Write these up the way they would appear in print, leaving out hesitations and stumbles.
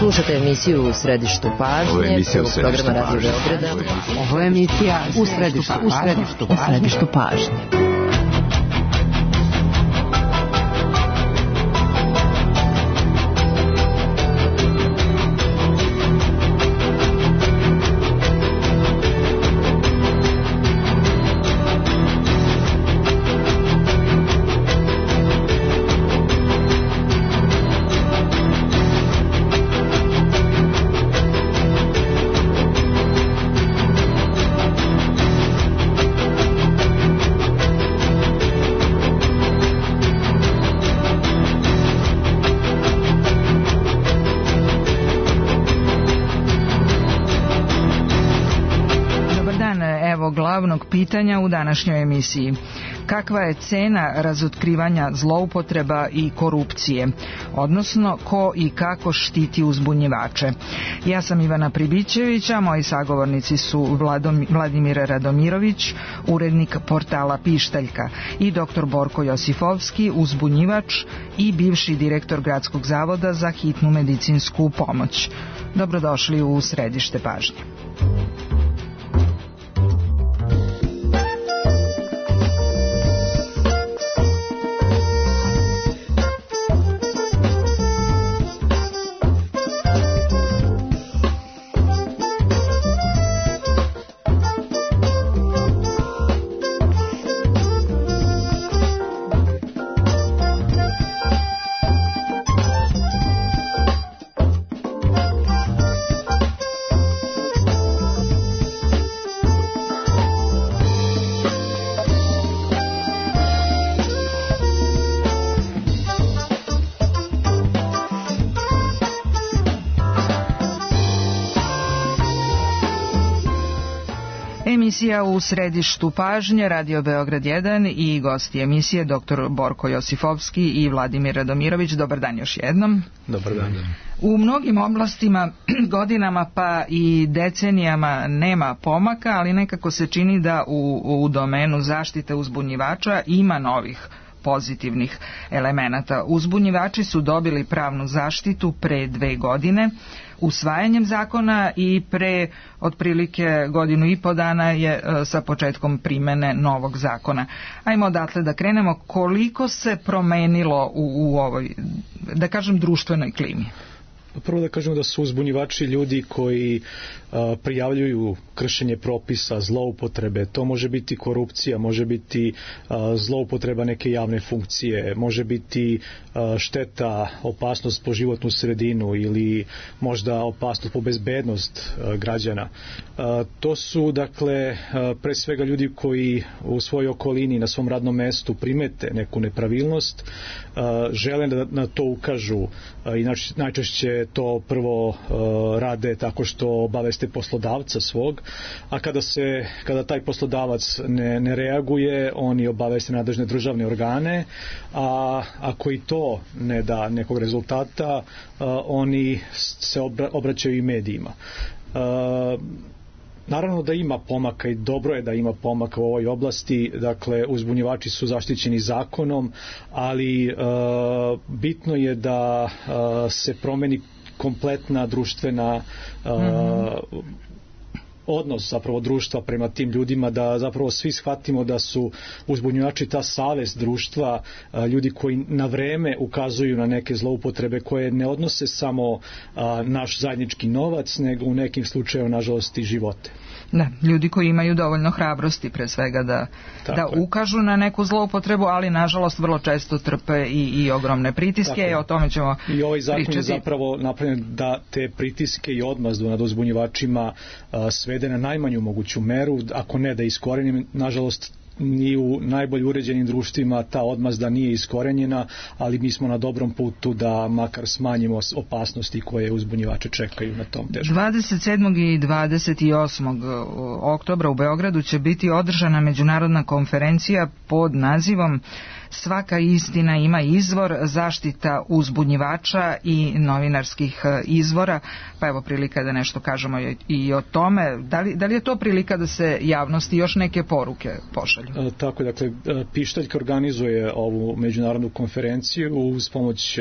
Slušate emisiju U središtu pažnje, programa Radio Beograda. Ovo je emisija U središtu pažnje. Glavnog pitanja u današnjoj emisiji. Kakva je cena razotkrivanja zloupotreba i korupcije, odnosno ko i kako štiti uzbunjivače? Ja sam Ivana Pribićević, a moji sagovornici su Vladimir Radomirović, urednik portala Pištaljka, i dr. Borko Josifovski, uzbunjivač i bivši direktor Gradskog zavoda za hitnu medicinsku pomoć. Dobrodošli u središte pažnje. Emisija U središtu pažnje, Radio Beograd 1 i gosti emisije dr. Borko Josifovski i Vladimir Radomirović. Dobar dan još jednom. Dobar dan. U mnogim oblastima godinama pa i decenijama nema pomaka, ali nekako se čini da u domenu zaštite uzbunjivača ima novih pozitivnih elemenata. Uzbunjivači su dobili pravnu zaštitu pre 2 godine usvajanjem zakona i pre otprilike 1,5 godine je sa početkom primene novog zakona. Ajmo odatle da krenemo. Koliko se promenilo u ovoj, da kažem, društvenoj klimi? Prvo da kažemo da su uzbunjivači ljudi koji prijavljuju kršenje propisa, zloupotrebe. To može biti korupcija, može biti zloupotreba neke javne funkcije, može biti šteta, opasnost po životnu sredinu ili možda opasnost po bezbednost građana. To su, dakle, pre svega ljudi koji u svojoj okolini, na svom radnom mestu primete neku nepravilnost, žele da na to ukažu i najčešće to prvo rade tako što obaveste poslodavca svog, a kada taj poslodavac ne reaguje, oni obaveste nadležne državne organe, a ako i to ne da nekog rezultata, oni se obraćaju i medijima. Naravno da ima pomaka i dobro je da ima pomaka u ovoj oblasti, dakle uzbunjivači su zaštićeni zakonom, ali bitno je da se promeni kompletna društvena odnos zapravo društva prema tim ljudima, da zapravo svi shvatimo da su uzbunjivači ta savest društva, ljudi koji na vreme ukazuju na neke zloupotrebe koje ne odnose samo naš zajednički novac, nego u nekim slučajevima nažalost i živote. Da, ljudi koji imaju dovoljno hrabrosti pre svega da ukažu na neku zloupotrebu, ali nažalost vrlo često trpe i ogromne pritiske, o tome ćemo pričati. I ovaj zakon je zapravo napravljen da te pritiske i odmazdu nad uzbunjivačima svede na najmanju moguću meru, ako ne da iskorenim. Nažalost, ni u najbolje uređenim društvima ta odmazda nije iskorenjena, ali mi smo na dobrom putu da makar smanjimo opasnosti koje uzbunjivače čekaju na tom teškom. 27. i 28. oktobra u Beogradu će biti održana međunarodna konferencija pod nazivom svaka istina ima izvor, zaštita uzbunjivača i novinarskih izvora, pa evo prilika da nešto kažemo i o tome. Da li je to prilika da se javnosti još neke poruke pošalju? Tako, dakle, Pištaljka organizuje ovu međunarodnu konferenciju uz pomoć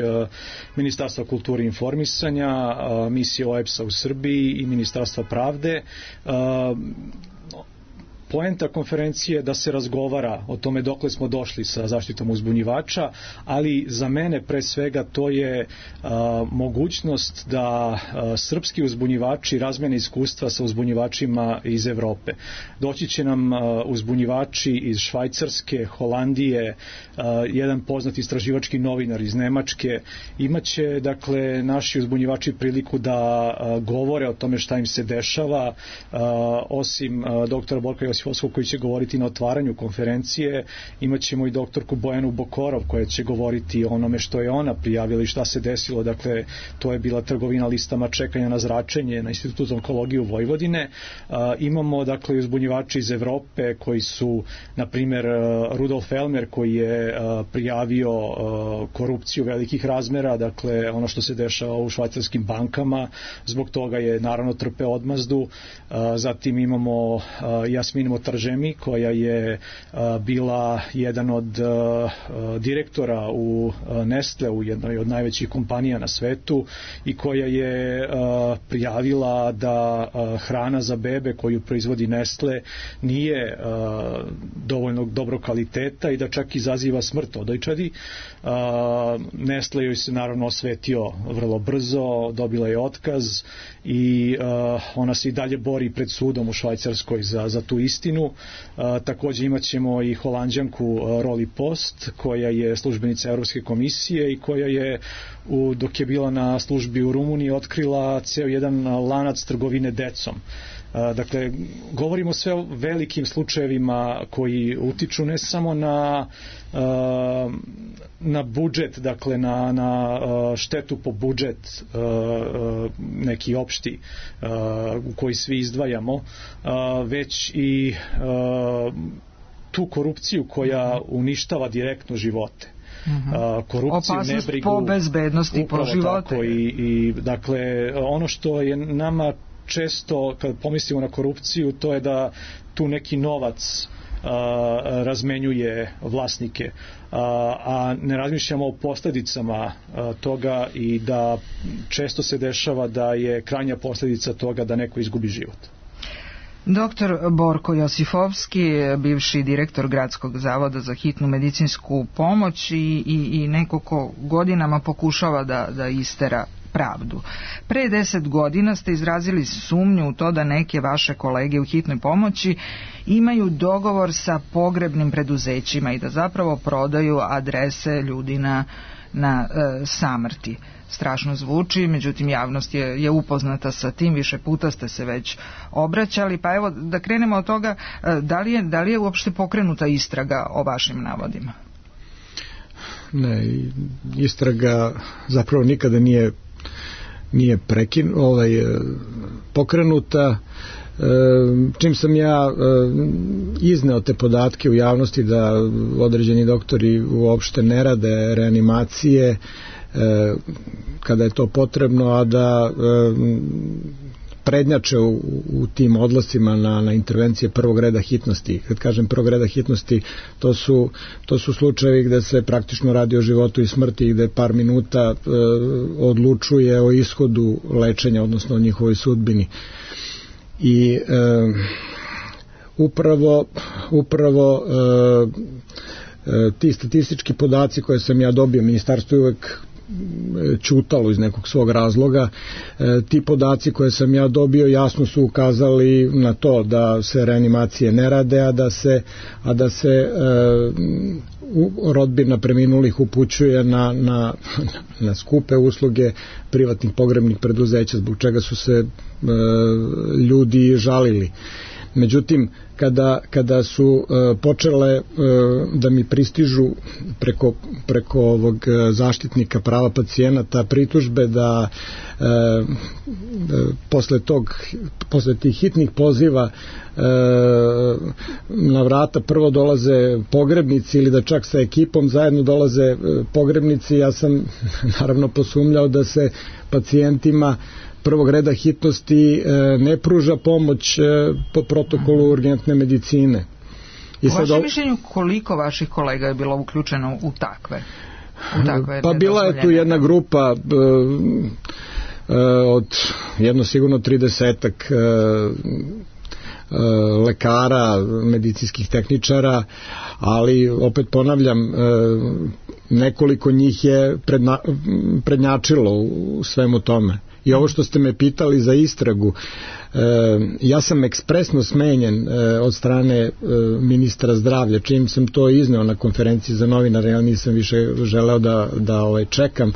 Ministarstva kulture i informisanja, misije OEBS-a u Srbiji i Ministarstva pravde. Poenta konferencije je da se razgovara o tome dokle smo došli sa zaštitom uzbunjivača, ali za mene pre svega to je mogućnost da srpski uzbunjivači razmene iskustva sa uzbunjivačima iz Evrope. Doći će nam uzbunjivači iz Švajcarske, Holandije, jedan poznati istraživački novinar iz Nemačke. Imaće, dakle, naši uzbunjivači priliku da govore o tome šta im se dešava, osim doktora Borka Josifovskog koji će govoriti na otvaranju konferencije, imaćemo i doktorku Bojanu Bokorov koja će govoriti o onome što je ona prijavila i šta se desilo. Dakle, to je bila trgovina listama čekanja na zračenje na Institutu za onkologiju Vojvodine. Imamo, dakle, uzbunjivači iz Evrope koji su, na primer, Rudolf Elmer koji je prijavio korupciju velikih razmera, dakle, ono što se dešava u švajcarskim bankama, zbog toga je naravno trpeo odmazdu. Zatim imamo Jasmin Motaržemi koja je bila jedan od direktora u Nestle, u jednoj od najvećih kompanija na svetu, i koja je prijavila da hrana za bebe koju proizvodi Nestle nije dovoljno dobro kvaliteta i da čak izaziva smrt odojčadi. Nestle joj se naravno osvetio vrlo brzo, dobila je otkaz i ona se i dalje bori pred sudom u Švajcarskoj za tu istinu. Takođe imaćemo i Holanđanku Roli Post koja je službenica Evropske komisije i koja je dok je bila na službi u Rumuniji otkrila ceo jedan lanac trgovine decom. Dakle, govorimo sve o velikim slučajevima koji utiču ne samo na budžet, dakle na štetu po budžet neki opšti u koji svi izdvajamo, već i tu korupciju koja uništava direktno živote. Korupciju, opasnost nebrigu, po bezbednosti, po živote. I dakle, ono što je nama često, kad pomislimo na korupciju, to je da tu neki novac razmenjuje vlasnike, a ne razmišljamo o posledicama toga i da često se dešava da je krajnja posledica toga da neko izgubi život. Doktor Borko Josifovski, bivši direktor Gradskog zavoda za hitnu medicinsku pomoć i neko ko godinama pokušava da istera pravdu. Pre 10 godina ste izrazili sumnju u to da neke vaše kolege u hitnoj pomoći imaju dogovor sa pogrebnim preduzećima i da zapravo prodaju adrese ljudi na samrti. Strašno zvuči, međutim javnost je upoznata sa tim, više puta ste se već obraćali, pa evo da krenemo od toga, da li je uopšte pokrenuta istraga o vašim navodima? Ne, istraga zapravo nikada nije pokrenuta. Čim sam ja izneo te podatke u javnosti da određeni doktori uopšte ne rade reanimacije kada je to potrebno, a da prednjače u tim odlascima na intervencije prvog reda hitnosti. Kad kažem prvog reda hitnosti, to su slučajevi gde se praktično radi o životu i smrti i gde par minuta odlučuje o ishodu lečenja, odnosno o njihovoj sudbini. I upravo ti statistički podaci koje sam ja dobio, ministarstvo je uvek ćutalo iz nekog svog razloga, ti podaci koje sam ja dobio jasno su ukazali na to da se reanimacije ne rade, a da se rodbina preminulih upućuje na skupe usluge privatnih pogrebnih preduzeća, zbog čega su se ljudi žalili. Međutim, kada su počele da mi pristižu preko preko ovog zaštitnika prava pacijenata pritužbe da posle tih hitnih poziva na vrata prvo dolaze pogrebnici ili da čak sa ekipom zajedno dolaze pogrebnici. Ja sam naravno posumnjao da se pacijentima prvog reda hitnosti ne pruža pomoć po protokolu urgentne medicine. U vašem mišljenju koliko vaših kolega je bilo uključeno u takve? Pa bila je tu jedna grupa od jedno sigurno 30-ak lekara, medicinskih tehničara, ali opet ponavljam, nekoliko njih je prednjačilo u svemu tome. I ovo što ste me pitali za istragu, ja sam ekspresno smenjen od strane ministra zdravlja, čim sam to izneo na konferenciji za novinare, ja nisam više želeo da čekam.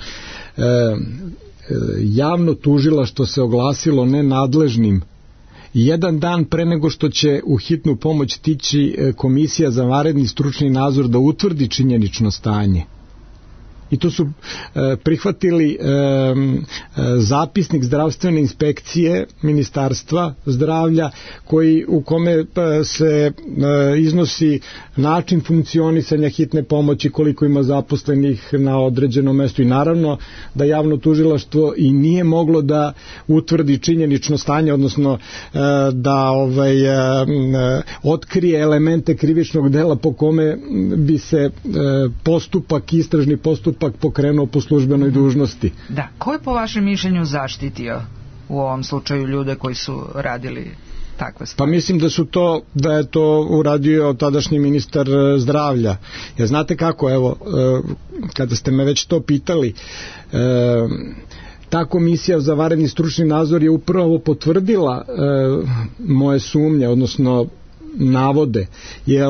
Javno tužilaštvo se oglasilo nenadležnim jedan dan pre nego što će u hitnu pomoć stići komisija za vanredni stručni nadzor da utvrdi činjenično stanje. I to su prihvatili zapisnik zdravstvene inspekcije Ministarstva zdravlja u kome se iznosi način funkcionisanja hitne pomoći, koliko ima zaposlenih na određenom mestu, i naravno da javno tužilaštvo i nije moglo da utvrdi činjenično stanje, odnosno da otkrije elemente krivičnog dela po kome bi se istražni postupak pokrenuo po službenoj dužnosti. Da, ko je po vašem mišljenju zaštitio u ovom slučaju ljude koji su radili takve stvari? Pa mislim da je to uradio tadašnji ministar zdravlja. Jer znate kako, evo, kada ste me već to pitali, ta komisija za vanredni stručni nadzor je upravo potvrdila moje sumnje, odnosno navode, jer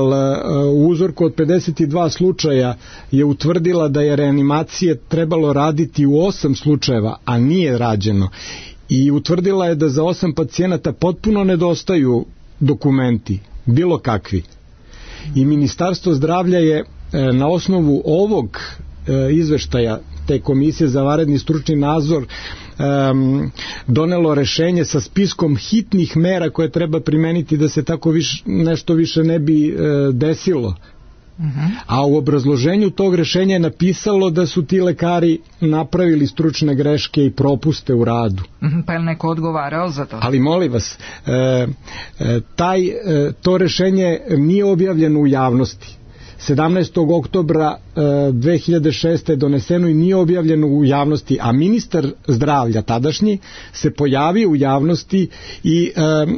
u uzorku od 52 slučaja je utvrdila da je reanimacije trebalo raditi u 8 slučajeva, a nije rađeno. I utvrdila je da za 8 pacijenata potpuno nedostaju dokumenti, bilo kakvi. I Ministarstvo zdravlja je na osnovu ovog izveštaja te komisije za vanredni stručni nadzor donelo rešenje sa spiskom hitnih mera koje treba primeniti da se tako nešto više ne bi desilo. A u obrazloženju tog rešenja je napisalo da su ti lekari napravili stručne greške i propuste u radu. Pa je li neko odgovarao za to? Ali molim vas, to rešenje nije objavljeno u javnosti. 17. oktobra 2006. je doneseno i nije objavljeno u javnosti, a ministar zdravlja tadašnji se pojavio u javnosti i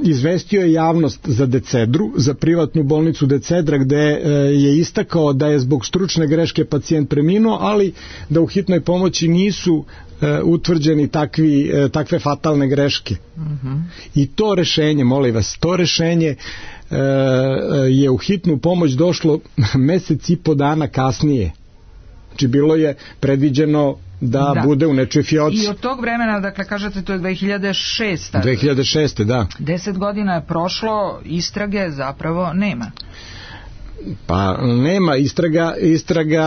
izvestio je javnost za Decedru, za privatnu bolnicu Decedra, gde je istakao da je zbog stručne greške pacijent preminuo, ali da u hitnoj pomoći nisu utvrđeni takve fatalne greške. I to rešenje, molim vas, to rešenje je u hitnu pomoć došlo mesec i po dana kasnije. Znači bilo je predviđeno da bude u nečoj fioci. I od tog vremena, dakle kažete, to je 2006. 2006. da. 10 godina je prošlo, istrage zapravo nema. Pa nema, istraga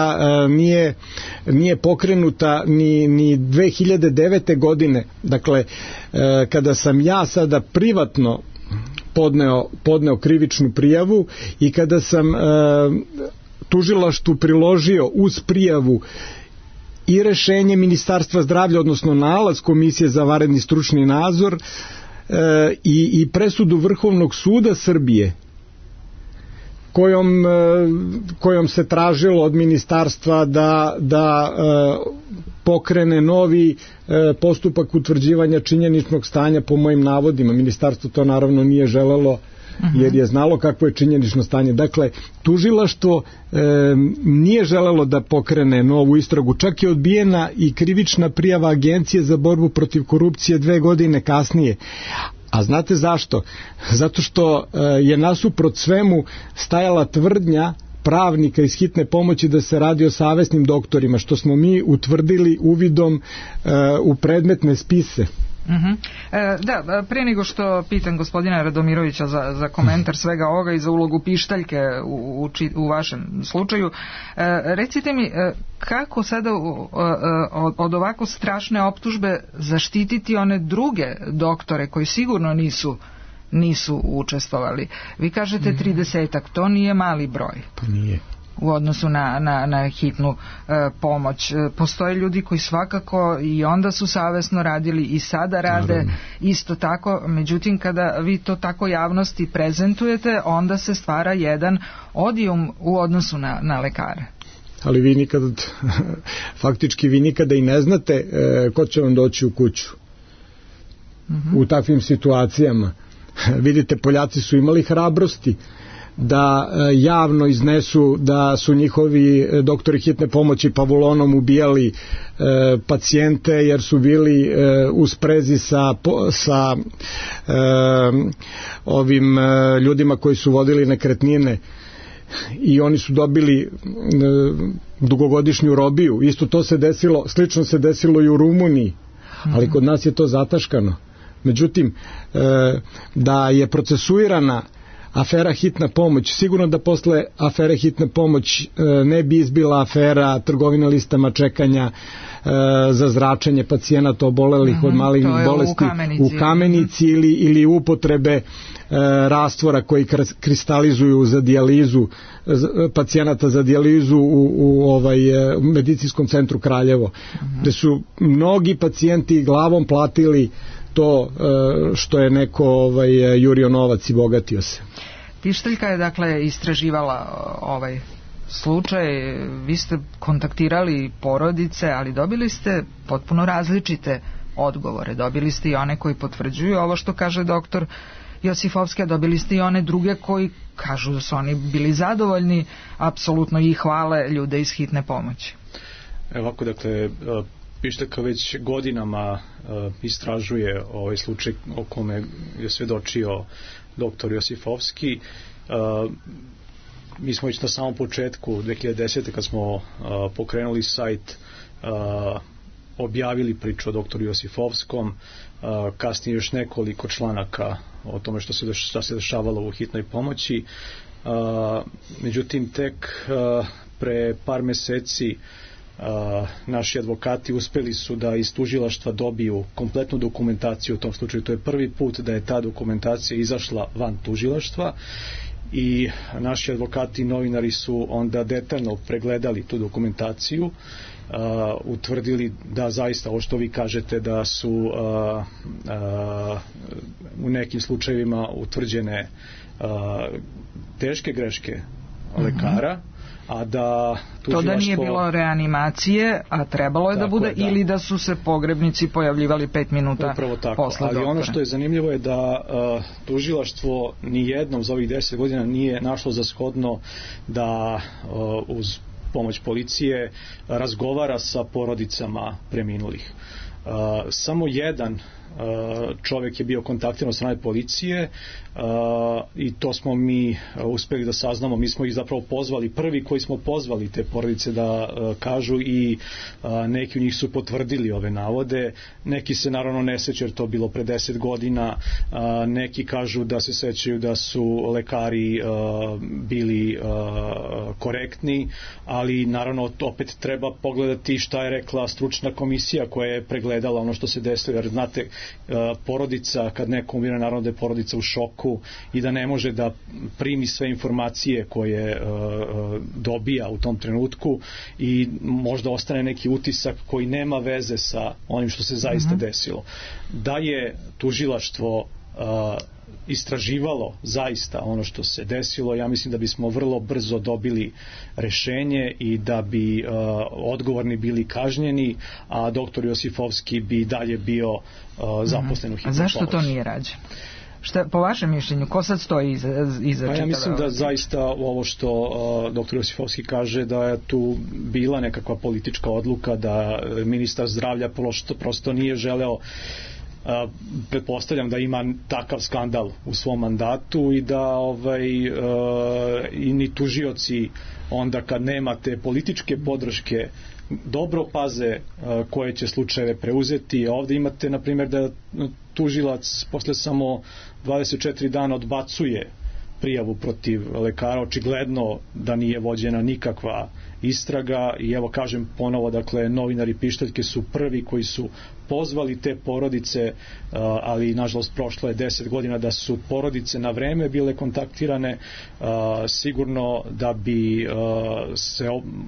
nije pokrenuta ni 2009. godine. Dakle, kada sam ja sada privatno podneo krivičnu prijavu i kada sam tužilaštvu priložio uz prijavu i rešenje Ministarstva zdravlja, odnosno nalaz Komisije za vanredni stručni nadzor i presudu Vrhovnog suda Srbije, kojom se tražilo od ministarstva da pokrene novi postupak utvrđivanja činjeničnog stanja po mojim navodima. Ministarstvo to naravno nije želelo, jer je znalo kakvo je činjenično stanje. Dakle, tužilaštvo nije želelo da pokrene novu istragu, čak je odbijena i krivična prijava Agencije za borbu protiv korupcije 2 godine kasnije. A znate zašto? Zato što je nasuprot svemu stajala tvrdnja pravnika iz hitne pomoći da se radi o savesnim doktorima, što smo mi utvrdili uvidom u predmetne spise. Da, prije nego što pitam gospodina Radomirovića za komentar svega ovoga i za ulogu pištaljke u vašem slučaju, recite mi kako sada od ovako strašne optužbe zaštititi one druge doktore koji sigurno nisu učestvovali. Vi kažete 30-ak, to nije mali broj. Pa nije. U odnosu na hitnu pomoć. Postoje ljudi koji svakako i onda su savesno radili i sada rade. Naravno. Isto tako, međutim kada vi to tako javnosti prezentujete, onda se stvara jedan odijum u odnosu na lekare. Ali vi nikad, faktički vi nikada i ne znate ko će vam doći u kuću. U takvim situacijama. Vidite, Poljaci su imali hrabrosti da javno iznesu da su njihovi doktori hitne pomoći pavulonom ubijali pacijente jer su bili u sprezi sa ovim ljudima koji su vodili nekretnine i oni su dobili dugogodišnju robiju. Isto to se desilo, slično se desilo i u Rumuniji, ali kod nas je to zataškano. Međutim, da je procesuirana afera hitna pomoć, sigurno da posle afere hitna pomoć ne bi izbila afera trgovina listama čekanja za zračenje pacijenata obolelih od malignih bolesti u Kamenici ili upotrebe rastvora koji kristalizuju za dijalizu pacijenata za dijalizu u medicinskom centru Kraljevo, gde su mnogi pacijenti glavom platili to što je neko jurio novac i bogatio se. Pištaljka je dakle istraživala ovaj slučaj, vi ste kontaktirali porodice, ali dobili ste potpuno različite odgovore. Dobili ste i one koji potvrđuju ovo što kaže doktor Josifovski, a dobili ste i one druge koji kažu da su oni bili zadovoljni apsolutno i hvale ljude iz hitne pomoći. Ovako, dakle, Pištaljka već godinama istražuje ovaj slučaj o kome je svedočio doktor Josifovski. Mi smo već na samom početku 2010. kad smo pokrenuli sajt objavili priču o doktoru Josifovskom, kasnije još nekoliko članaka o tome što se dešavalo u hitnoj pomoći. Međutim, tek pre par meseci naši advokati uspeli su da iz tužilaštva dobiju kompletnu dokumentaciju u tom slučaju. To je prvi put da je ta dokumentacija izašla van tužilaštva i naši advokati i novinari su onda detaljno pregledali tu dokumentaciju, utvrdili da zaista ovo što vi kažete da su u nekim slučajevima utvrđene teške greške lekara, a da to da nije bilo reanimacije, a trebalo je da bude, ili da su se pogrebnici pojavljivali 5 minuta posle doktora. Ali ono što je zanimljivo je da tužilaštvo nijednom za ovih 10 godina nije našlo za shodno da uz pomoć policije razgovara sa porodicama preminulih. Samo jedan čovjek je bio kontaktiran od strane policije i to smo mi uspeli da saznamo. Mi smo ih zapravo pozvali, prvi koji smo pozvali te porodice da kažu, i neki u njih su potvrdili ove navode. Neki se naravno ne sećaju jer to bilo pre 10 godina, neki kažu da se sećaju da su lekari bili korektni, ali naravno opet treba pogledati šta je rekla stručna komisija koja je pregledala ono što se desilo, jer znate, porodica, kad neko umire, naravno da je porodica u šoku i da ne može da primi sve informacije koje dobija u tom trenutku i možda ostane neki utisak koji nema veze sa onim što se zaista desilo. Da je tužilaštvo istraživalo zaista ono što se desilo, ja mislim da bismo vrlo brzo dobili rešenje i da bi odgovorni bili kažnjeni, a doktor Josifovski bi dalje bio zaposlen u hitnoj pomoći. A zašto to nije rađeno? Šta, po vašem mišljenju, ko sad stoji iza ja mislim da zaista ovo što doktor Josifovski kaže, da je tu bila nekakva politička odluka, da ministar zdravlja prosto nije želeo pretpostavljam da ima takav skandal u svom mandatu i da i ni tužioci onda kad nemate političke podrške dobro paze koje će slučajeve preuzeti. Ovdje imate na primjer da tužilac posle samo 24 dana odbacuje prijavu protiv lekara, očigledno da nije vođena nikakva istraga i evo kažem ponovo, dakle novinari Pištaljke su prvi koji su pozvali te porodice, ali nažalost prošlo je 10 godina da su porodice na vreme bile kontaktirane, sigurno da bi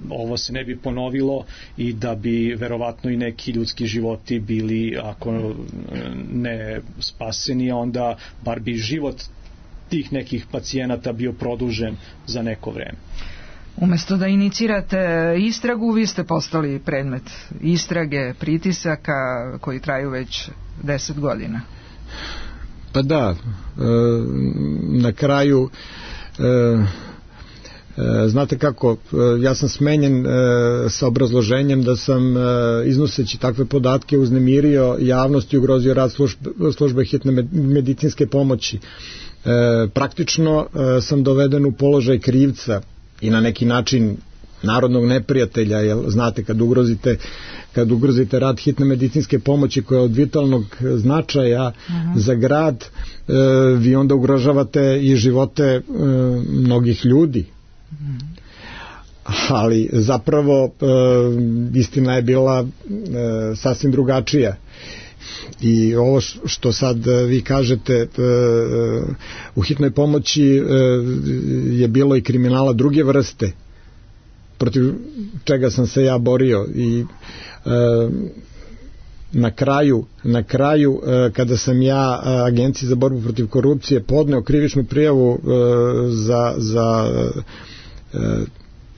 ovo se ne bi ponovilo i da bi verovatno i neki ljudski životi bili, ako ne spaseni, onda bar bi život tih nekih pacijenata bio produžen za neko vreme. Umesto da inicirate istragu, vi ste postali predmet istrage, pritisaka koji traju već 10 godina. Pa da, na kraju znate kako, ja sam smenjen sa obrazloženjem da sam iznoseći takve podatke uznemirio javnost i ugrozio rad službe hitne medicinske pomoći. Praktično sam doveden u položaj krivca i na neki način narodnog neprijatelja, jer znate kad ugrozite rad hitne medicinske pomoći koja je od vitalnog značaja za grad, vi onda ugrožavate i živote mnogih ljudi. Ali zapravo istina je bila sasvim drugačija. I ovo što sad vi kažete, u hitnoj pomoći je bilo i kriminala druge vrste protiv čega sam se ja borio i na kraju kada sam ja Agenciji za borbu protiv korupcije podneo krivičnu prijavu za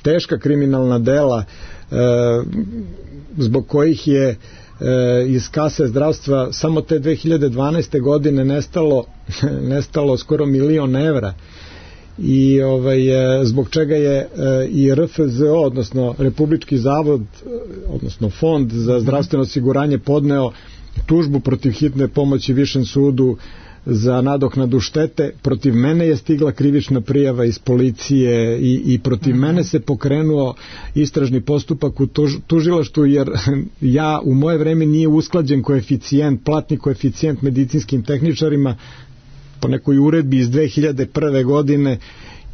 teška kriminalna dela zbog kojih je iz kase zdravstva samo te 2012. godine nestalo skoro 1 milion evra i zbog čega je i RFZO, odnosno Republički zavod, odnosno Fond za zdravstveno osiguranje podneo tužbu protiv hitne pomoći Višem sudu za nadoknadu štete. Protiv mene je stigla krivična prijava iz policije i protiv mene se pokrenuo istražni postupak u tužilaštvu, jer ja u moje vreme nije usklađen platni koeficijent medicinskim tehničarima po nekoj uredbi iz 2001. godine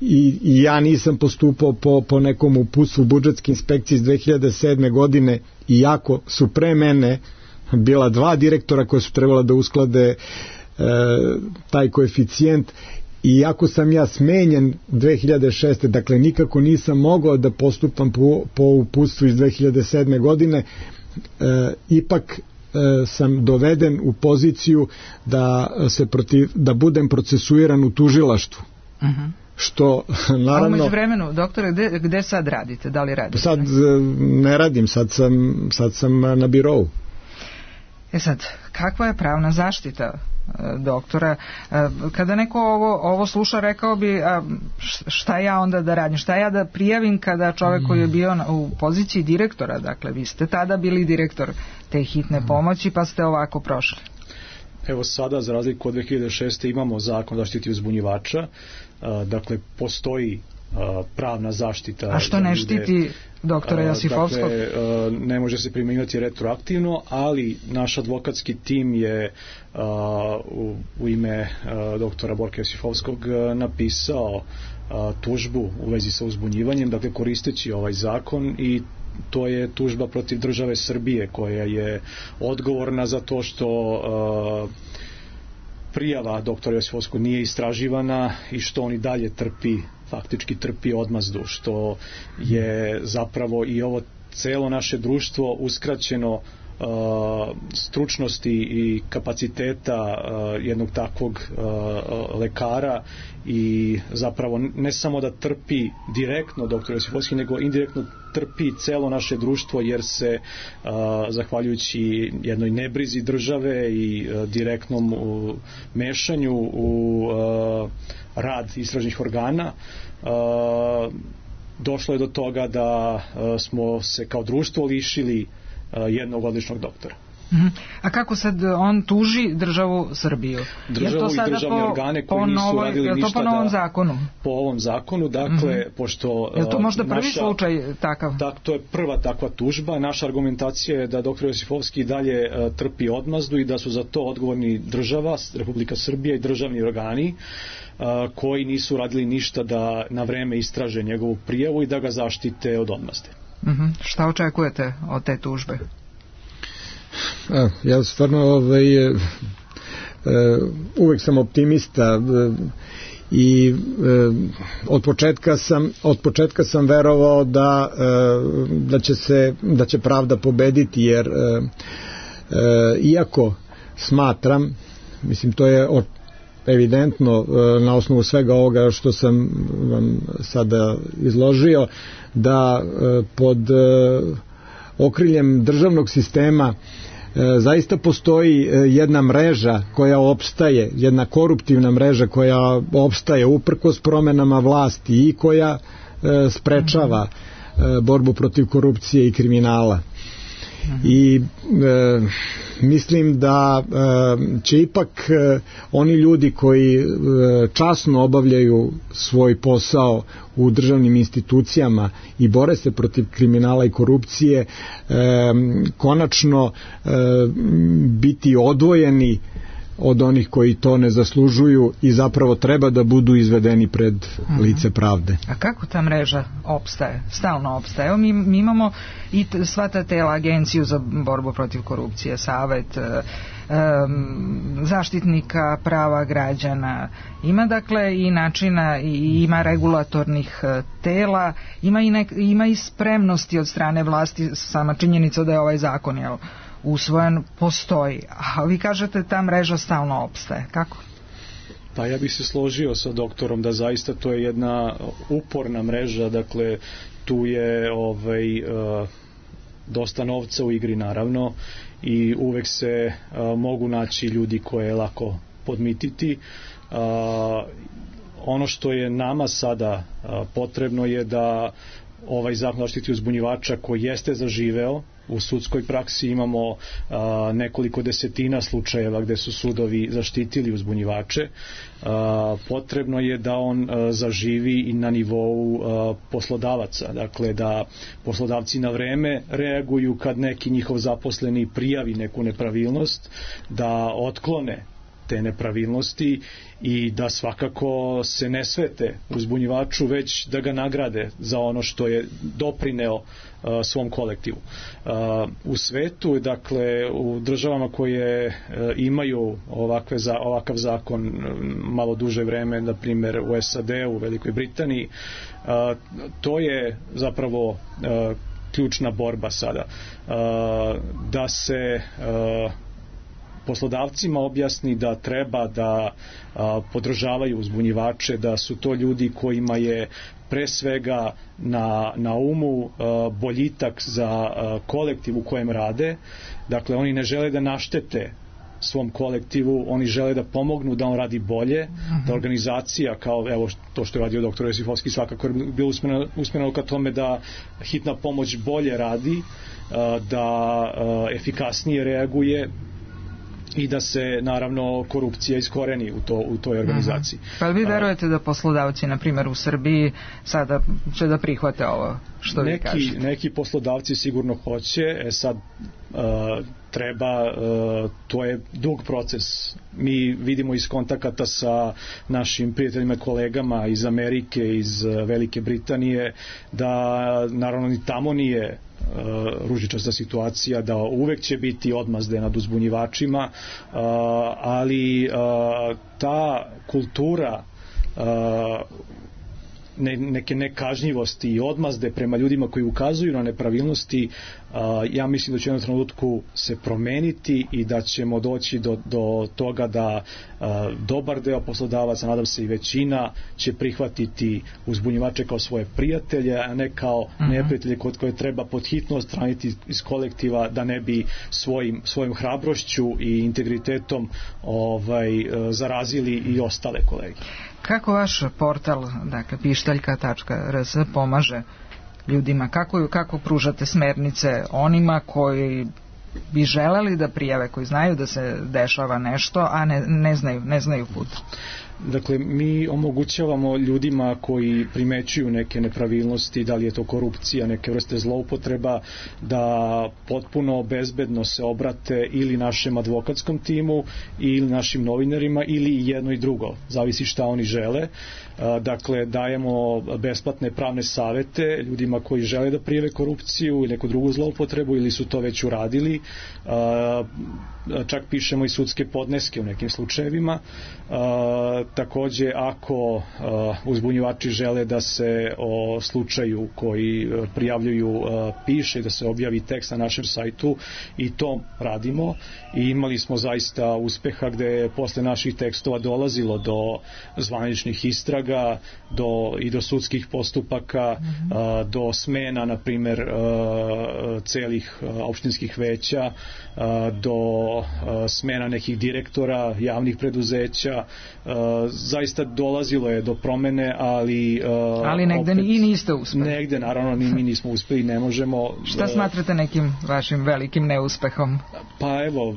i ja nisam postupao po nekom uputstvu budžetske inspekcije iz 2007. godine, iako su pre mene bila 2 direktora koje su trebala da usklade taj koeficijent, i iako sam ja smenjen 2006. dakle nikako nisam mogao da postupam po uputstvu iz 2007. godine, ipak sam doveden u poziciju da budem procesuiran u tužilaštvu. Što naravno... A umeđu vremenu, doktore, gde sad radite? Da li radite? Sad ne radim, sad sam na birovu. Sad, kakva je pravna zaštita doktora? Kada neko ovo sluša, rekao bi, šta ja onda da radim, šta ja da prijavim kada čovek koji je bio u poziciji direktora, dakle vi ste tada bili direktor te hitne pomoći pa ste ovako prošli. Evo sada, za razliku od 2006. imamo zakon o zaštiti uzbunjivača, dakle postoji pravna zaštita. A što ne štiti doktora Josifovskog? Dakle, ne može se primjenjivati retroaktivno, ali naš advokatski tim je u ime doktora Borka Josifovskog napisao tužbu u vezi sa uzbunjivanjem, dakle koristeći ovaj zakon, i to je tužba protiv države Srbije koja je odgovorna za to što prijava doktora Josifovskog nije istraživana i što on i dalje faktički trpi odmazdu, što je zapravo i ovo celo naše društvo uskraćeno stručnosti i kapaciteta jednog takvog lekara, i zapravo ne samo da trpi direktno doktor Josifovski, nego indirektno trpi celo naše društvo, jer se zahvaljujući jednoj nebrizi države i direktnom mešanju u rad istražnih organa došlo je do toga da smo se kao društvo lišili jednog odličnog doktora. A kako sad on tuži državu Srbiju? Državu i državne organe koji nisu radili ništa po novom zakonu? Po ovom zakonu, dakle, pošto... Je to možda prvi slučaj takav? To je prva takva tužba. Naša argumentacija je da dr. Josifovski dalje trpi odmazdu i da su za to odgovorni država, Republika Srbija i državni organi koji nisu radili ništa da na vreme istraže njegovu prijavu i da ga zaštite od odmazde. Šta očekujete od te tužbe? Ja stvarno uvek sam optimista i od početka sam verovao da će pravda pobediti, jer iako smatram, mislim to je evidentno na osnovu svega ovoga što sam vam sada izložio, da pod okriljem državnog sistema zaista postoji jedna mreža koja opstaje, jedna koruptivna mreža koja opstaje uprkos promenama vlasti i koja sprečava borbu protiv korupcije i kriminala. I mislim da će ipak oni ljudi koji časno obavljaju svoj posao u državnim institucijama i bore se protiv kriminala i korupcije konačno biti odvojeni od onih koji to ne zaslužuju i zapravo treba da budu izvedeni pred lice pravde. A kako ta mreža opstaje? Stalno opstaje. Evo mi imamo i sva ta tela, Agenciju za borbu protiv korupcije, Savet zaštitnika prava građana. Ima dakle i načina i ima regulatornih tela, ima i spremnosti od strane vlasti, sama činjenica da je ovaj zakon usvojen, postoji. A vi kažete ta mreža stalno opstaje. Kako? Pa ja bih se složio sa doktorom da zaista to je jedna uporna mreža, dakle tu je dosta novca u igri naravno i uvek se mogu naći ljudi koje je lako podmititi. Ono što je nama sada potrebno je da ovaj zakon o zaštiti uzbunjivača koji jeste zaživeo, u sudskoj praksi imamo nekoliko desetina slučajeva gde su sudovi zaštitili uzbunjivače. Potrebno je da on zaživi i na nivou poslodavaca, dakle da poslodavci na vreme reaguju kad neki njihov zaposleni prijavi neku nepravilnost, da otklone te nepravilnosti i da svakako se ne svete uzbunjivaču, već da ga nagrade za ono što je doprineo svom kolektivu. U svetu, dakle u državama koje imaju ovakav zakon malo duže vreme, na primjer u SAD-u, u Velikoj Britaniji, to je zapravo ključna borba sada. Da se poslodavcima objasni da treba da podržavaju uzbunjivače, da su to ljudi kojima je pre svega na umu boljitak za kolektiv u kojem rade. Dakle, oni ne žele da naštete svom kolektivu, oni žele da pomognu da on radi bolje, da organizacija kao evo to što je radio dr. Josifovski svakako je bilo usmjereno ka tome da hitna pomoć bolje radi, da efikasnije reaguje i da se naravno korupcija iskoreni u toj organizaciji. Pa vi verujete da poslodavci, na primjer u Srbiji, sada će da prihvate ovo što vi kažete? Neki poslodavci sigurno hoće, sad treba, to je dug proces. Mi vidimo iz kontakata sa našim prijateljima, kolegama iz Amerike, iz Velike Britanije, da naravno ni tamo nije ružičasta situacija, da uvek će biti odmazde nad uzbunjivačima, ali ta kultura neke nekažnjivosti i odmazde prema ljudima koji ukazuju na nepravilnosti, ja mislim da će u jednom trenutku se promeniti i da ćemo doći do toga da dobar deo poslodavaca, nadam se i većina, će prihvatiti uzbunjivače kao svoje prijatelje, a ne kao neprijatelje koje treba pod hitno odstraniti iz kolektiva da ne bi svojim hrabrošću i integritetom zarazili i ostale kolege. Kako vaš portal, dakle pištaljka.rs pomaže ljudima? Kako pružate smernice onima koji bi želeli da prijave, koji znaju da se dešava nešto, a ne znaju put? Dakle, mi omogućavamo ljudima koji primećuju neke nepravilnosti, da li je to korupcija, neke vrste zloupotreba, da potpuno bezbedno se obrate ili našem advokatskom timu ili našim novinarima ili jedno i drugo, zavisi šta oni žele. Dakle, dajemo besplatne pravne savete ljudima koji žele da prijave korupciju ili neku drugu zloupotrebu ili su to već uradili. Čak pišemo i sudske podneske u nekim slučajevima. Takođe, ako uzbunjivači žele da se o slučaju koji prijavljuju piše, da se objavi tekst na našem sajtu, i to radimo, i imali smo zaista uspeha gde je posle naših tekstova dolazilo do zvaničnih istraga, do sudskih postupaka, do smena, na primer, celih opštinskih veća, do smena nekih direktora javnih preduzeća. Zaista dolazilo je do promene, ali negde opet, i niste uspeli. Negde, naravno, mi nismo uspeli, ne možemo. Šta smatrate nekim vašim velikim neuspehom? Pa evo,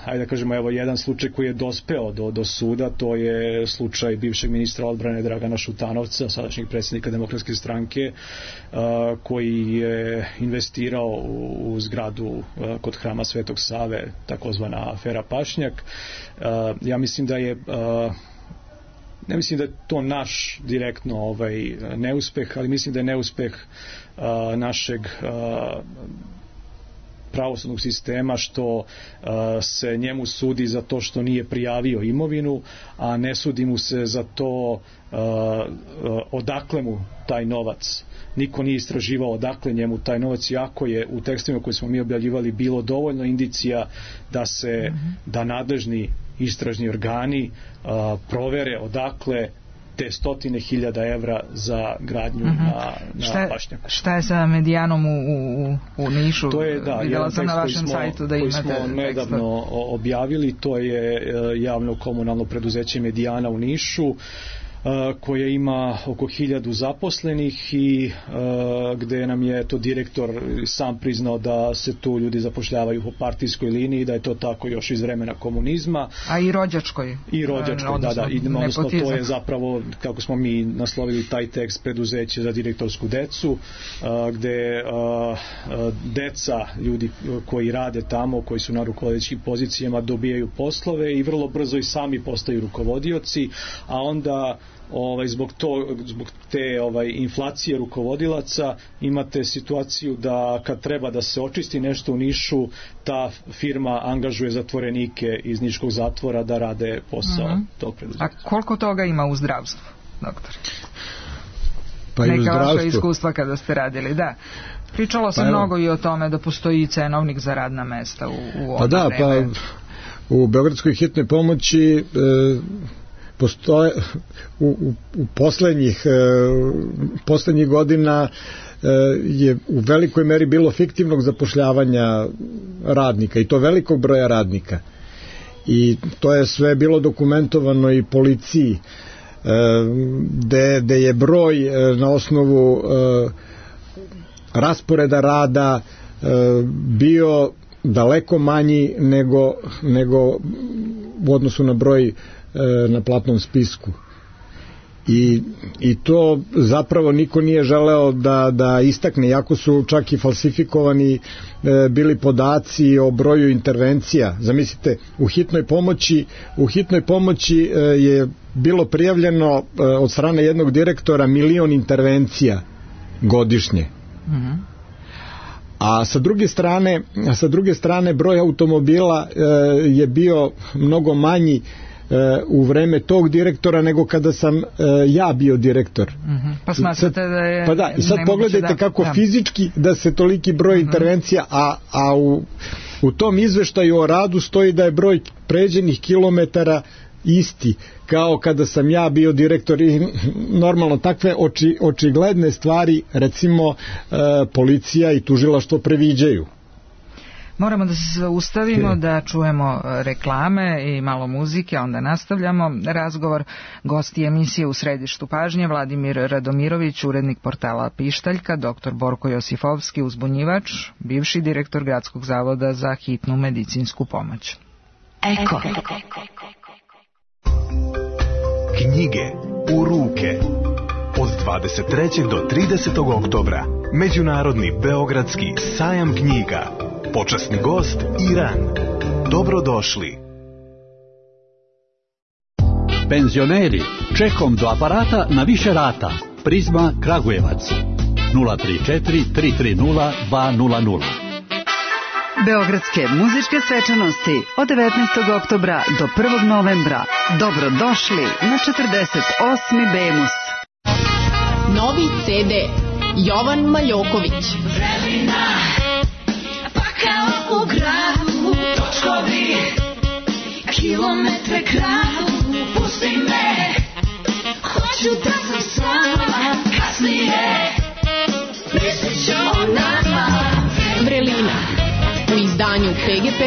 ajde da kažemo, evo jedan slučaj koji je dospeo do suda, to je slučaj bivšeg ministra odbrane Dragana Šutanovca, sadašnjeg predsjednika Demokratske stranke, koji je investirao u zgradu kod hrama Svetog Save, takozvana afera Pašnjak. Ja mislim da je ne mislim da je to naš direktno neuspeh, ali mislim da je neuspeh našeg pravosudnog sistema što se njemu sudi za to što nije prijavio imovinu, a ne sudi mu se za to odakle mu taj novac. Niko nije istraživao odakle njemu taj novac, iako je u tekstovima koje smo mi objavljivali bilo dovoljno indicija da nadležni istražni organi provere odakle te 100.000 evra za gradnju na pašnjaku. Šta je sa Medijanom u Nišu? To je, videla sam na vašem sajtu da imate koji smo nedavno objavili, to je javno komunalno preduzeće Medijana u Nišu, koje ima oko 1000 zaposlenih i gde nam je to direktor sam priznao da se tu ljudi zapošljavaju po partijskoj liniji, da je to tako još iz vremena komunizma. A i rođačkoj. I rođačkoj, da. Odnosno to je zapravo, kako smo mi naslovili taj tekst, preduzeće za direktorsku decu, gde deca ljudi koji rade tamo, koji su na rukovodećim pozicijama, dobijaju poslove i vrlo brzo i sami postaju rukovodioci, a onda zbog te inflacije rukovodilaca imate situaciju da kad treba da se očisti nešto u Nišu, ta firma angažuje zatvorenike iz niškog zatvora da rade posao tog preduzeća. A koliko toga ima u zdravstvu, doktor? Pa i u zdravstvu. Neka vaša iskustva kada ste radili, da. Pričalo se mnogo i o tome da postoji cenovnik za radna mesta u ovo vreme. U Beogradskoj hitnoj pomoći postoje u poslednjih godina je u velikoj meri bilo fiktivnog zapošljavanja radnika, i to velikog broja radnika, i to je sve bilo dokumentovano i policiji, gde je broj na osnovu rasporeda rada bio daleko manji nego u odnosu na broj na platnom spisku. I to zapravo niko nije želeo da istakne, iako su čak i falsifikovani bili podaci o broju intervencija. Zamislite, u hitnoj pomoći je bilo prijavljeno od strane jednog direktora 1.000.000 intervencija godišnje. A sa druge strane broj automobila je bio mnogo manji u vreme tog direktora nego kada sam ja bio direktor. Pa smatrate da je... Pa da, i sad pogledajte kako fizički da se toliki broj intervencija, a u tom izveštaju o radu stoji da je broj pređenih kilometara isti kao kada sam ja bio direktor, i normalno takve očigledne stvari recimo policija i tužilaštvo previđaju. Moramo da se ustavimo, da čujemo reklame i malo muzike, a onda nastavljamo razgovor. Gosti emisije U središtu pažnje: Vladimir Radomirović, urednik portala Pištaljka, dr. Borko Josifovski, uzbunjivač, bivši direktor Gradskog zavoda za hitnu medicinsku pomoć. Eko. Knjige u ruke. Od 23. do 30. oktobra Međunarodni beogradski sajam knjiga. Počasni gost Iran. Dobrodošli. Penzioneri, čekom do aparata na više rata. Prizma Kragujevac 034 330 200. Beogradske muzičke svečanosti od 19. oktobra do 1. novembra. Dobrodošli na 48. Bemus. Novi CD Jovan Maljoković. Vremena, pa kao u gradu, točkovi, kilometre kradu, pusti me, hoću da sam sama, kasnije, mislit ću o nama. Vrelina, u izdanju PGP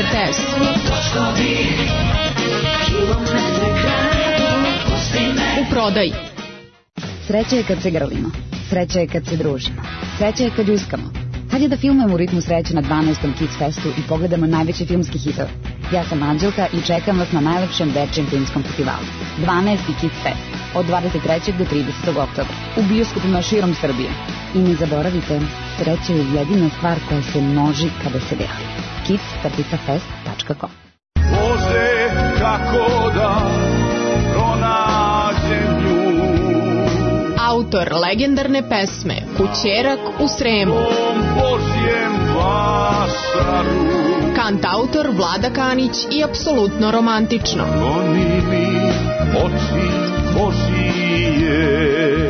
RTS. Točkovi, kilometre kradu, pusti me. U prodaji. Sreća je kad se grlimo, sreća je kad se družimo, sreća je kad ljuskamo. Kad je da filmujemo u ritmu sreće na 12. Kids Festu i pogledamo najveće filmski hitove. Ja sam Anđelka i čekam vas na najlepšem dečijem filmskom festivalu. 12. Kids Fest, od 23. do 30. oktobra, u bioskopima širom Srbije. I ne zaboravite, sreća je jedina stvar koja se množi kada se deli. kids-fest.com. Bože, kako da pronađem nju. Autor legendarne pesme Kućerak u Sremu. Kantautor Vlada Kanić i apsolutno romantično.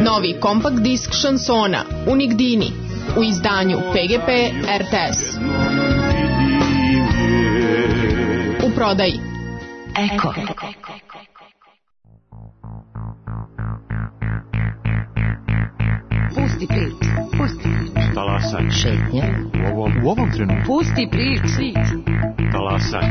Novi kompakt disk šansona Unigdini u izdanju PGP RTS. U prodaji. Eko. Pusti prič, pusti prič. Talasaj. Šetnja. U ovom trenutku. Pusti prič. Talasaj.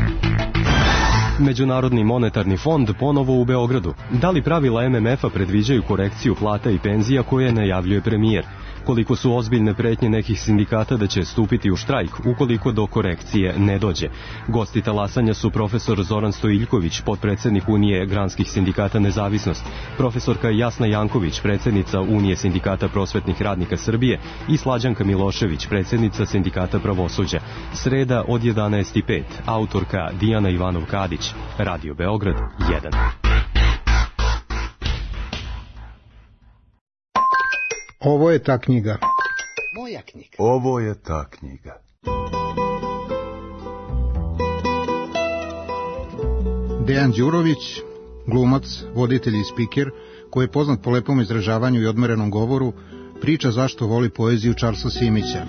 Međunarodni monetarni fond ponovo u Beogradu. Da li pravila MMF-a predviđaju korekciju plata i penzija koje najavljuje premijer? Koliko su ozbiljne pretnje nekih sindikata da će stupiti u štrajk ukoliko do korekcije ne dođe? Gosti talasanja su profesor Zoran Stojiljković, potpredsednik Unije granskih sindikata Nezavisnost, profesorka Jasna Janković, predsednica Unije sindikata prosvetnih radnika Srbije i Slađanka Milošević, predsednica sindikata pravosuđa. Sreda od 11:05, autorka Dijana Ivanov-Kadić, Radio Beograd 1. Ovo je ta knjiga. Moja knjiga. Ovo je ta knjiga. Dejan Đurović, glumac, voditelj i spiker, koji je poznat po lepom izražavanju i odmerenom govoru, priča zašto voli poeziju Charlesa Simića.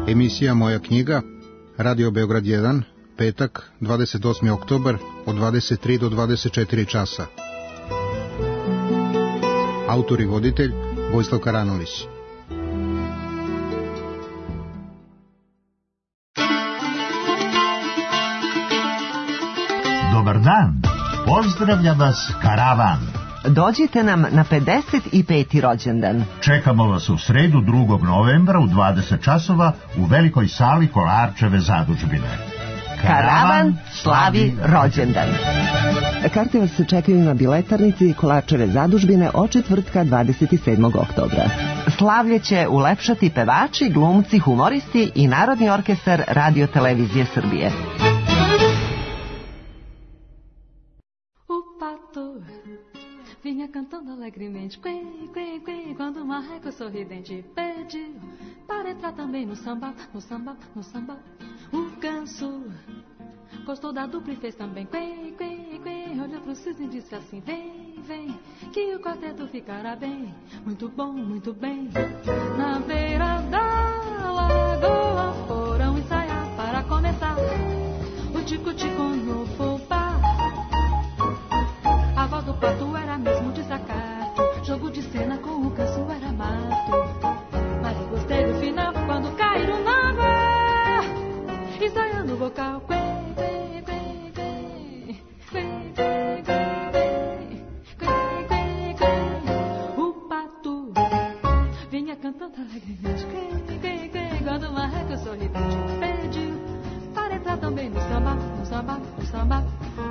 Emisija Moja knjiga, Radio Beograd 1, petak, 28. oktobar, od 23 do 24 časa. Autor i voditelj Vojislav Karanović. Dobar dan, pozdravlja vas Karavan. Dođite nam na 55. rođendan. Čekamo vas u sredu 2. novembra u 20 časova u velikoj sali Kolarčeve zadužbine. Karavan slavi rođendan. Karte vas čekaju na biletarnici Kolarčeve zadužbine od četvrtka 27. oktobra. Slavlje će ulepšati pevači, glumci, humoristi i Narodni orkestar Radio Televizije Srbije. Vinha cantando alegremente, quê, quê, quê, quando o marreco sorridente pediu para entrar também no samba, no samba, no samba. O ganso gostou da dupla e fez também quê, quê, quê, olhou pro cisne e disse assim, vem, vem, que o quarteto ficará bem, muito bom, muito bem. Na beira da lagoa foram ensaiar para começar o tico-tico no fubá. A voz do pato era mesmo desacato, jogo de cena com o canso era mato. Mas gostei do final quando caiu samba, no samba,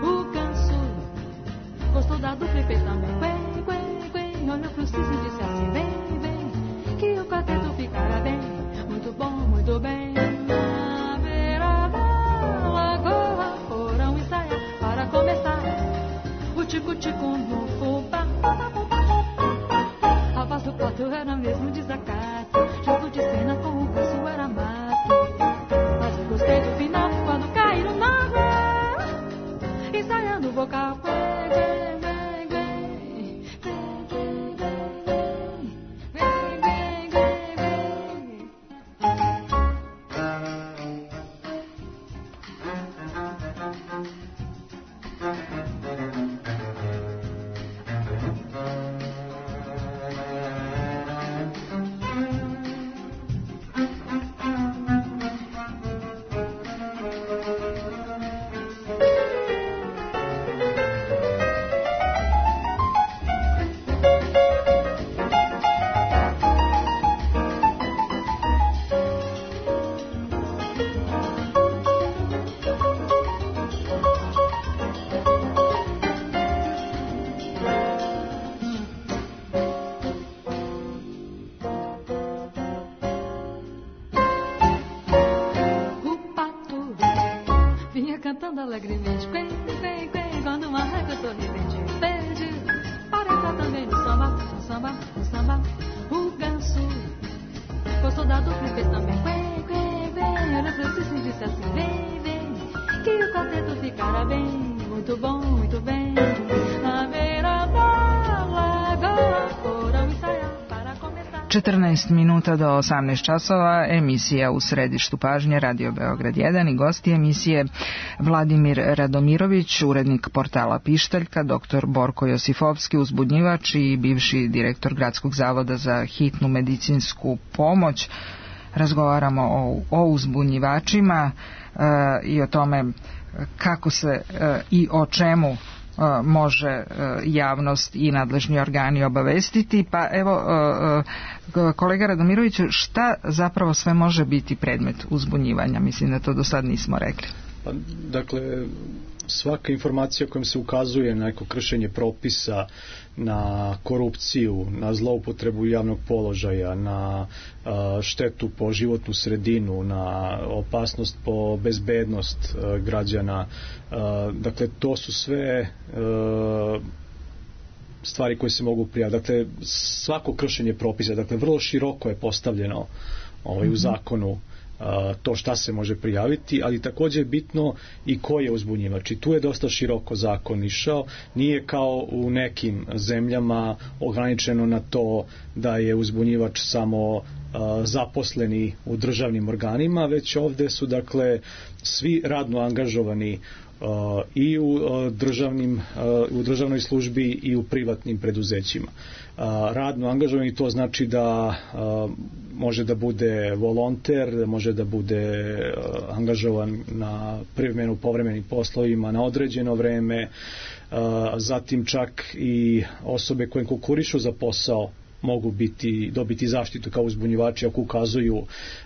o ganso gostou da dupla e fez também. Quen, quen, quen, olhou pro cisne e disse assim: vem, vem, que o quarteto ficará bem, muito bom, muito bem. Na beira da lagoa foram ensaiar para começar o tico-tico no fubá. A voz do pato era mesmo desacato, jogo de cena com o ganso era mato. Mas eu gostei do final quando caíram na água, ensaiando o vocal. Cantando alegremente, quen, quen, quen, quando uma régua sorridente verde para entrar também no samba, no samba, no samba. O ganso gostou da dupla e fez também quen, quen, quen. Olha pra Francisco e disse assim: vem, vem, que o quarteto ficará bem, muito bom, muito bem. Na beira da lagoa foram ensaiar para começar. 14 minuta do 18 časova, emisija U središtu pažnje, Radio Beograd 1 i gosti emisije Vladimir Radomirović, urednik portala Pištaljka, dr. Borko Josifovski, uzbudnjivač i bivši direktor Gradskog zavoda za hitnu medicinsku pomoć. Razgovaramo o uzbunjivačima i o tome kako se i o čemu može javnost i nadležni organi obavestiti. Pa evo, kolega Radomiroviću, šta zapravo sve može biti predmet uzbunjivanja? Mislim da to do sad nismo rekli. Pa, dakle, svaka informacija kojom se ukazuje na neko kršenje propisa, na korupciju, na zloupotrebu javnog položaja, na štetu po životnu sredinu, na opasnost po bezbednost građana, dakle to su sve stvari koje se mogu prijaviti. Dakle, svako kršenje propisa, dakle vrlo široko je postavljeno u zakonu to šta se može prijaviti, ali također je bitno i ko je uzbunjivač. I tu je dosta široko zakon išao, nije kao u nekim zemljama ograničeno na to da je uzbunjivač samo zaposleni u državnim organima, već ovdje su dakle svi radno angažovani i u državnoj službi i u privatnim preduzećima. Radno angažovani to znači da može da bude volonter, može da bude angažovan na privremeno povremenim poslovima na određeno vreme, zatim čak i osobe koje konkurišu za posao mogu dobiti zaštitu kao uzbunjivači ako ukazuju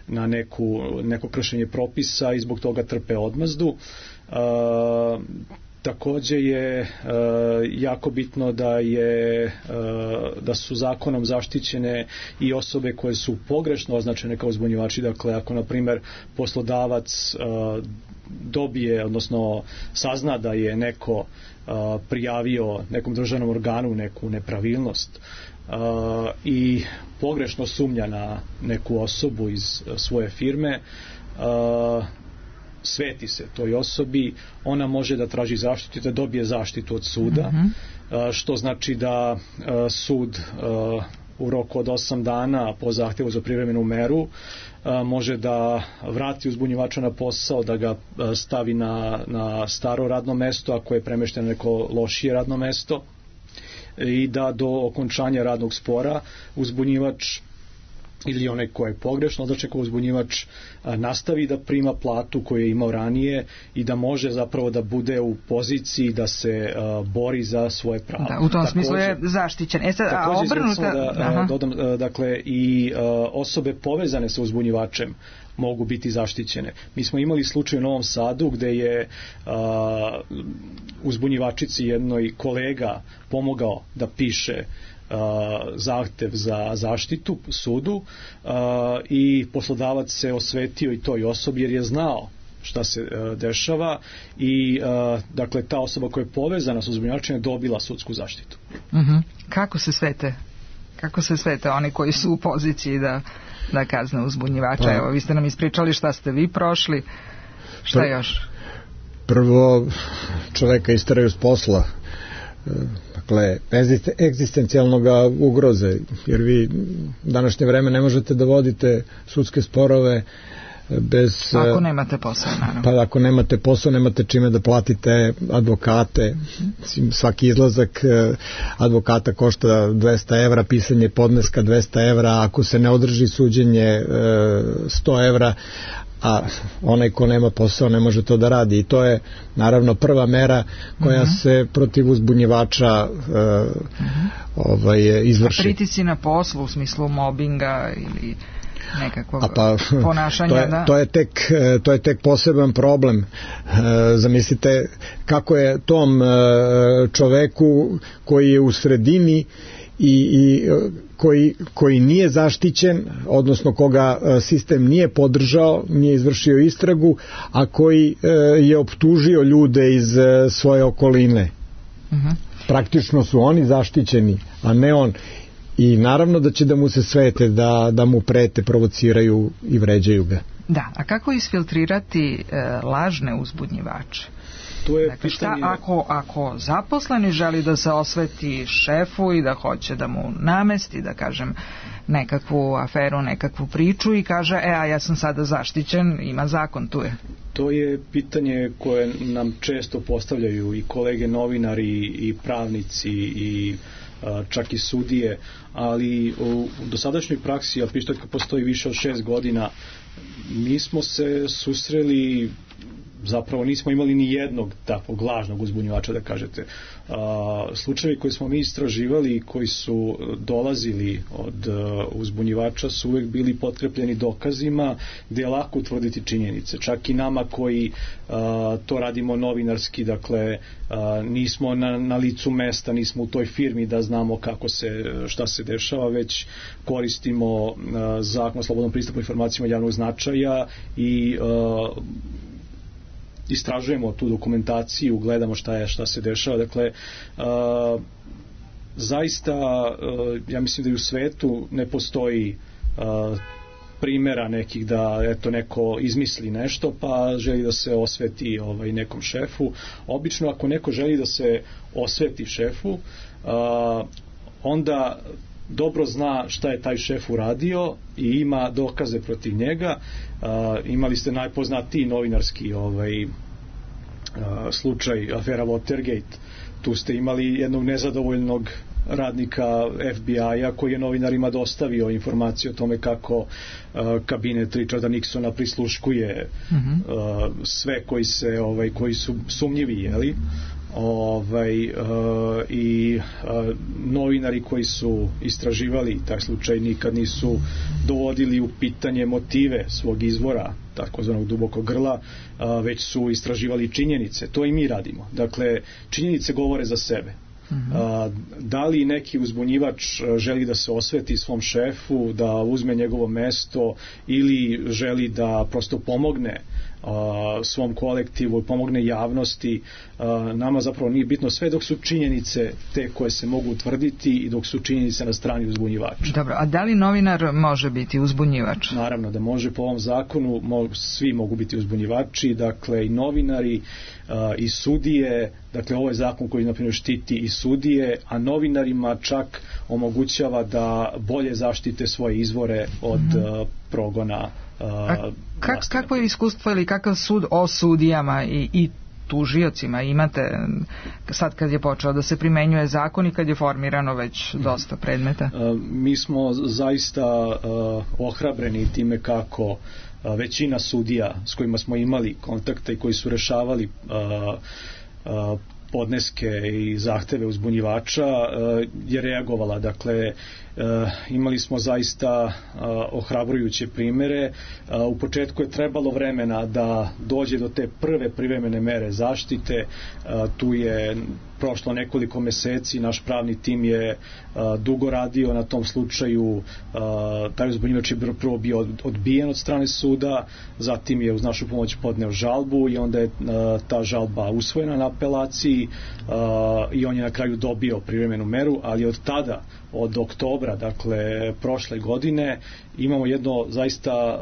na neko kršenje propisa i zbog toga trpe odmazdu. Također je jako bitno da su zakonom zaštićene i osobe koje su pogrešno označene kao uzbunjivači. Dakle, ako na primjer poslodavac dobije, odnosno sazna da je neko prijavio nekom državnom organu neku nepravilnost i pogrešno sumnja na neku osobu iz svoje firme, sveti se toj osobi, ona može da traži zaštitu i da dobije zaštitu od suda, što znači da sud u roku od 8 dana po zahtjevu za privremenu meru može da vrati uzbunjivača na posao, da ga stavi na staro radno mesto ako je premešteno neko lošije radno mesto i da do okončanja radnog spora uzbunjivač ili onaj ko je pogrešno označen uzbunjivač nastavi da prima platu koju je imao ranije i da može zapravo da bude u poziciji da se bori za svoje pravo. Da, u tom smislu je zaštićen. Dodam, dakle, i osobe povezane sa uzbunjivačem mogu biti zaštićene. Mi smo imali slučaj u Novom Sadu gde je uzbunjivačici jednoj kolega pomogao da piše zahtev za zaštitu sudu i poslodavac se osvetio i toj osobi jer je znao šta se dešava i dakle ta osoba koja je povezana sa uzbunjivačem je dobila sudsku zaštitu. Kako se svete oni koji su u poziciji da kazne uzbunjivača? Evo, vi ste nam ispričali šta ste vi prošli, šta još? Prvo, čoveka isteraju s posla, dakle, egzistencijalnog ugroze, jer vi u današnje vreme ne možete da vodite sudske sporove bez... Ako nemate posao, naravno. Pa ako nemate posao, nemate čime da platite advokate. Svaki izlazak advokata košta 200 evra, pisanje podneska 200 evra, ako se ne održi suđenje 100 evra, a onaj ko nema posao ne može to da radi. I to je naravno prva mera koja se protiv uzbunjivača izvrši. A pritisci na poslu u smislu mobinga ili nekakvog ponašanja? To je tek poseban problem. Zamislite kako je tom čoveku koji je u sredini i koji nije zaštićen, odnosno koga sistem nije podržao, nije izvršio istragu, a koji je optužio ljude iz svoje okoline. Praktično su oni zaštićeni, a ne on. I naravno da će da mu se svete, da mu prete, provociraju i vređaju ga. Da, a kako isfiltrirati lažne uzbunjivače? Dakle, šta ako zaposleni želi da se osveti šefu i da hoće da mu namesti, da kažem, nekakvu aferu, nekakvu priču i kaže, a ja sam sada zaštićen, ima zakon, tu je. To je pitanje koje nam često postavljaju i kolege novinari i pravnici i čak i sudije, ali u dosadašnjoj praksi, a pištoljka postoji više od 6 godina, mi smo se susreli, zapravo nismo imali ni jednog takvog lažnog uzbunjivača, da kažete. Slučajevi koje smo mi istraživali i koji su dolazili od uzbunjivača su uvek bili potkrepljeni dokazima gde je lako utvrditi činjenice. Čak i nama koji to radimo novinarski, dakle nismo na licu mesta, nismo u toj firmi da znamo šta se dešava, već koristimo zakon o slobodnom pristupu informacijama javnog značaja i istražujemo tu dokumentaciju, gledamo šta se dešava. Dakle, zaista ja mislim da i u svetu ne postoji primjera nekih da neko izmisli nešto pa želi da se osveti nekom šefu. Obično ako neko želi da se osveti šefu, onda dobro zna šta je taj šef uradio i ima dokaze protiv njega. Imali ste najpoznatiji novinarski slučaj afera Watergate. Tu ste imali jednog nezadovoljnog radnika FBI-a koji je novinarima dostavio informacije o tome kako kabinet Richarda Nixona prisluškuje sve koji su sumnjivi, jeli? I novinari koji su istraživali taj slučaj nikad nisu dovodili u pitanje motive svog izvora, takozvanog dubokog grla, već su istraživali činjenice. To i mi radimo. Dakle, činjenice govore za sebe. Da li neki uzbunjivač želi da se osveti svom šefu, da uzme njegovo mesto ili želi da prosto pomogne svom kolektivu, pomogne javnosti, nama zapravo nije bitno, sve dok su činjenice te koje se mogu utvrditi i dok su činjenice na strani uzbunjivača. Dobro, a da li novinar može biti uzbunjivač? Naravno da može, po ovom zakonu svi mogu biti uzbunjivači, dakle i novinari i sudije, dakle ovo je zakon koji naprimjer štiti i sudije, a novinarima čak omogućava da bolje zaštite svoje izvore od progona. Kako je iskustvo ili kakav sud o sudijama i tužiocima imate sad kad je počeo da se primenjuje zakon i kad je formirano već dosta predmeta? Mi smo zaista ohrabreni time kako većina sudija s kojima smo imali kontakta i koji su rešavali podneske i zahteve uzbunjivača je reagovala. Dakle, imali smo zaista ohrabrujuće primere. U početku je trebalo vremena da dođe do te prve privremene mere zaštite. Tu je prošlo nekoliko meseci, naš pravni tim je dugo radio na tom slučaju. Taj uzbunjivač je prvo bio odbijen od strane suda, zatim je uz našu pomoć podneo žalbu i onda je ta žalba usvojena na apelaciji i on je na kraju dobio privremenu meru, ali od tada, od oktobra, dakle prošle godine, imamo jedno zaista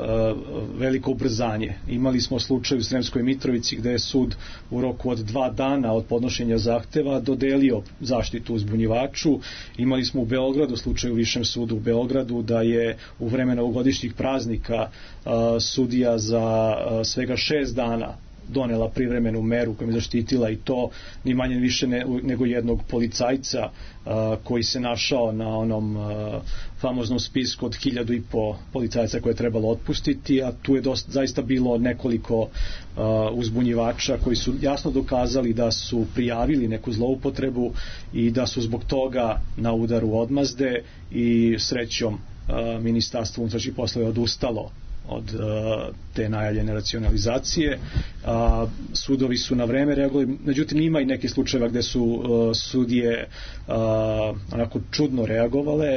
veliko ubrzanje. Imali smo slučaj u Sremskoj Mitrovici gde je sud u roku od 2 dana od podnošenja zahteva dodelio zaštitu uzbunjivaču. Imali smo u Beogradu slučaj u Višem sudu u Beogradu da je u vreme novogodišnjih praznika sudija za svega 6 dana donela privremenu meru kojom je zaštitila, i to ni manje više nego jednog policajca koji se našao na onom famoznom spisku od 1500 policajca koje je trebalo otpustiti, a tu je zaista bilo nekoliko uzbunjivača koji su jasno dokazali da su prijavili neku zloupotrebu i da su zbog toga na udaru odmazde, i srećom Ministarstvo unutrašnjih poslova je odustalo od te najavljene racionalizacije. Sudovi su na vreme reagovali, međutim ima i neke slučajeva gde su sudije onako čudno reagovale,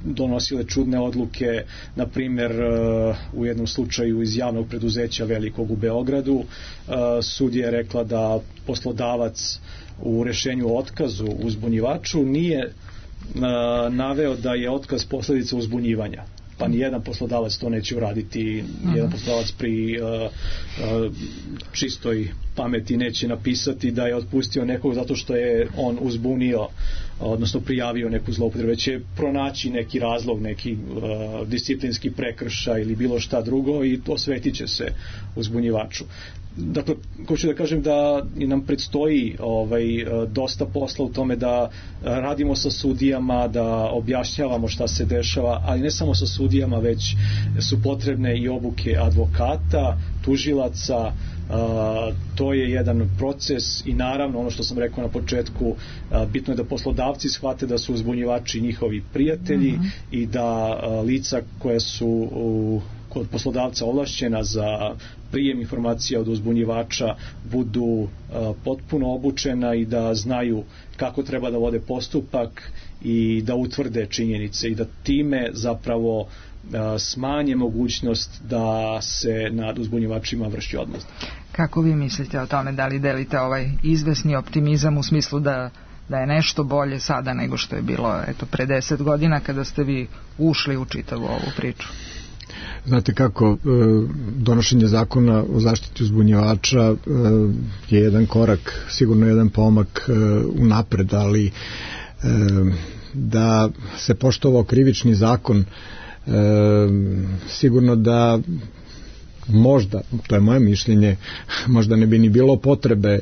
donosile čudne odluke. Na primer, u jednom slučaju iz javnog preduzeća velikog u Beogradu, sudija je rekla da poslodavac u rešenju o otkazu uzbunjivaču nije naveo da je otkaz posledica uzbunjivanja. Pa nijedan poslodavac to neće uraditi, jedan poslodavac pri čistoj pameti neće napisati da je otpustio nekog zato što je on uzbunio, odnosno prijavio neku zloupotrebu, već će pronaći neki razlog, neki disciplinski prekršaj ili bilo šta drugo i osvetit će se uzbunjivaču. Dakle, hoću da kažem da nam predstoji dosta posla u tome da radimo sa sudijama, da objašnjavamo šta se dešava, ali ne samo sa sudijama, već su potrebne i obuke advokata, tužilaca. To je jedan proces i naravno ono što sam rekao na početku, bitno je da poslodavci shvate da su uzbunjivači njihovi prijatelji i da lica koja su kod poslodavca ovlašćena za prijem informacija od uzbunjivača budu potpuno obučena i da znaju kako treba da vode postupak i da utvrde činjenice i da time zapravo smanje mogućnost da se nad uzbunjivačima vrši odmazda. Kako vi mislite o tome? Da li delite ovaj izvesni optimizam u smislu da je nešto bolje sada nego što je bilo pre 10 godina kada ste vi ušli u čitavu ovu priču? Znate kako, donošenje zakona o zaštiti uzbunjivača je jedan korak, sigurno jedan pomak unapred, ali da se poštovao krivični zakon, sigurno da možda, to je moje mišljenje, možda ne bi ni bilo potrebe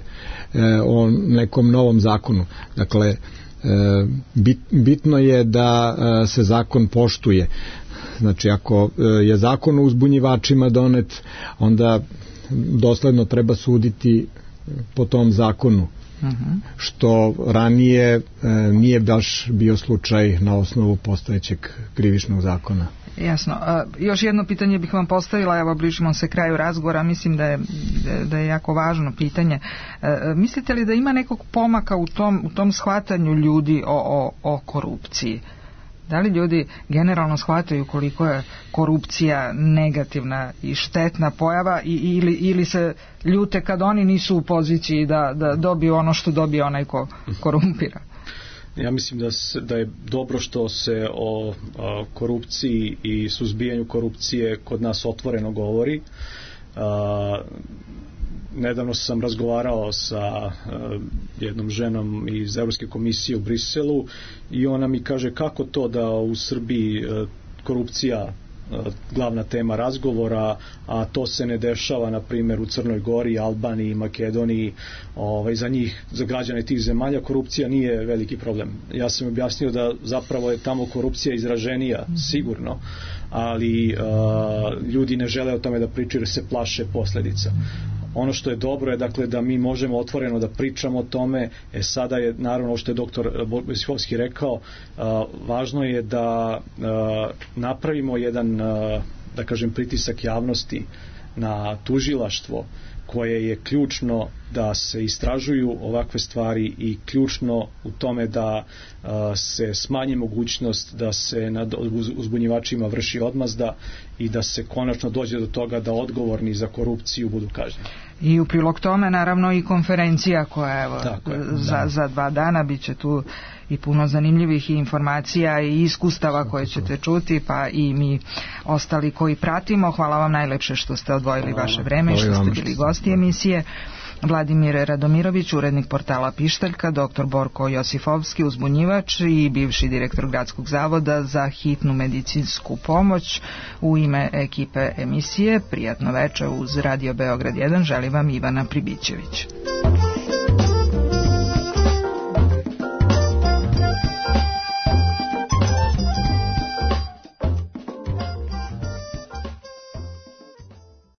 o nekom novom zakonu. Dakle, bitno je da se zakon poštuje. Znači, ako je zakon o uzbunjivačima donet, onda dosledno treba suditi po tom zakonu, što ranije nije baš bio slučaj na osnovu postojećeg krivičnog zakona. Jasno. Još jedno pitanje bih vam postavila, evo bližimo se kraju razgovora, mislim da je jako važno pitanje. Mislite li da ima nekog pomaka u tom shvatanju ljudi o korupciji? Da li ljudi generalno shvataju koliko je korupcija negativna i štetna pojava ili se ljute kad oni nisu u poziciji da dobiju ono što dobije onaj ko korumpira? Ja mislim da je dobro što se o korupciji i suzbijanju korupcije kod nas otvoreno govori. Nedavno sam razgovarao sa jednom ženom iz Evropske komisije u Briselu i ona mi kaže kako to da u Srbiji korupcija glavna tema razgovora, a to se ne dešava na primjer u Crnoj Gori, Albaniji, Makedoniji. Za njih, za građane tih zemalja, korupcija nije veliki problem. Ja sam objasnio da zapravo je tamo korupcija izraženija, sigurno, ali ljudi ne žele o tome da pričaju jer se plaše posljedica. Ono što je dobro je dakle da mi možemo otvoreno da pričamo o tome. Sada je naravno što je doktor Bojsihovski rekao, važno je da napravimo jedan, da kažem, pritisak javnosti na tužilaštvo koje je ključno da se istražuju ovakve stvari i ključno u tome da se smanji mogućnost da se nad uzbunjivačima vrši odmazda i da se konačno dođe do toga da odgovorni za korupciju budu kažnjeni. I u prilog tome naravno i konferencija koja evo, za 2 dana bit će tu i puno zanimljivih informacija i iskustava koje ćete čuti, pa i mi ostali koji pratimo. Hvala vam najlepše što ste odvojili vaše vreme i što ste bili gosti emisije. Vladimir Radomirović, urednik portala Pištaljka, dr. Borko Josifovski, uzbunjivač i bivši direktor Gradskog zavoda za hitnu medicinsku pomoć. U ime ekipe emisije prijatno večer uz Radio Beograd 1 želi vam Ivana Pribićević.